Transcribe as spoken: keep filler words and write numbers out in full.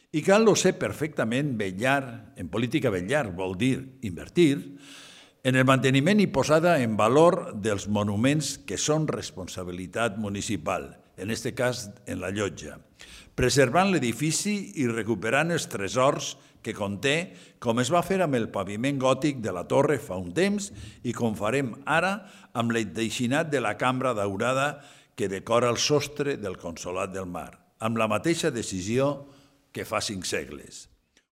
I cal lo ser perfectament vetllar, en política vetllar vol dir invertir, en el manteniment i posada en valor dels monuments que són responsabilitat municipal, en aquest cas en la llotja, preservant l'edifici i recuperant els tresors que conté, com es va fer amb el paviment gòtic de la torre fa un temps i com farem ara amb l'enteixinat de la cambra daurada que decora el sostre del Consolat del Mar, amb la mateixa decisió que fa cinc segles.